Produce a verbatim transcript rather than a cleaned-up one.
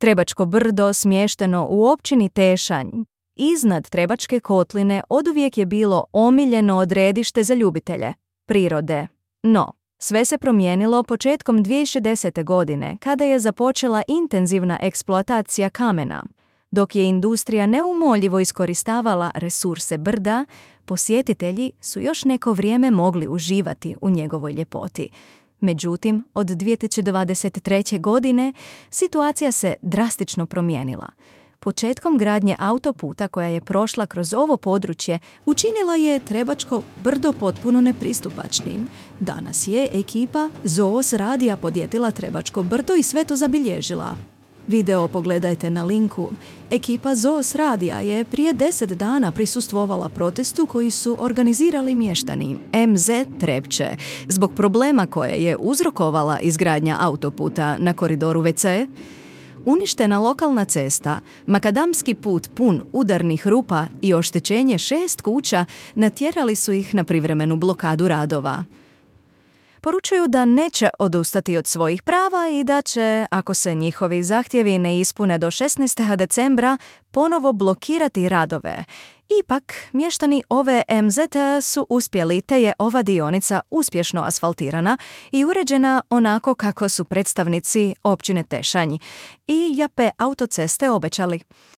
Trebačko brdo, smješteno u općini Tešanj, iznad Trebačke kotline, oduvijek je bilo omiljeno odredište za ljubitelje prirode. No, sve se promijenilo početkom dvije tisuće desete. godine, kada je započela intenzivna eksploatacija kamena. Dok je industrija neumoljivo iskoristavala resurse brda, posjetitelji su još neko vrijeme mogli uživati u njegovoj ljepoti. Međutim, od dvije tisuće dvadeset treće. godine situacija se drastično promijenila. Početkom gradnje autoputa koja je prošla kroz ovo područje učinila je Trebačko brdo potpuno nepristupačnim. Danas je ekipa Zoos radija podjetila Trebačko brdo i sve to zabilježila. Video pogledajte na linku. Ekipa Zoos radija je prije deset dana prisustvovala protestu koji su organizirali mještani em zet Trepče zbog problema koje je uzrokovala izgradnja autoputa na koridoru ve ce. Uništena lokalna cesta, makadamski put pun udarnih rupa i oštećenje šest kuća natjerali su ih na privremenu blokadu radova. Poručuju da neće odustati od svojih prava i da će, ako se njihovi zahtjevi ne ispune do šesnaestog decembra, ponovo blokirati radove. Ipak, mještani ove em zeta su uspjeli te je ova dionica uspješno asfaltirana i uređena onako kako su predstavnici općine Tešanj i Jape autoceste obećali.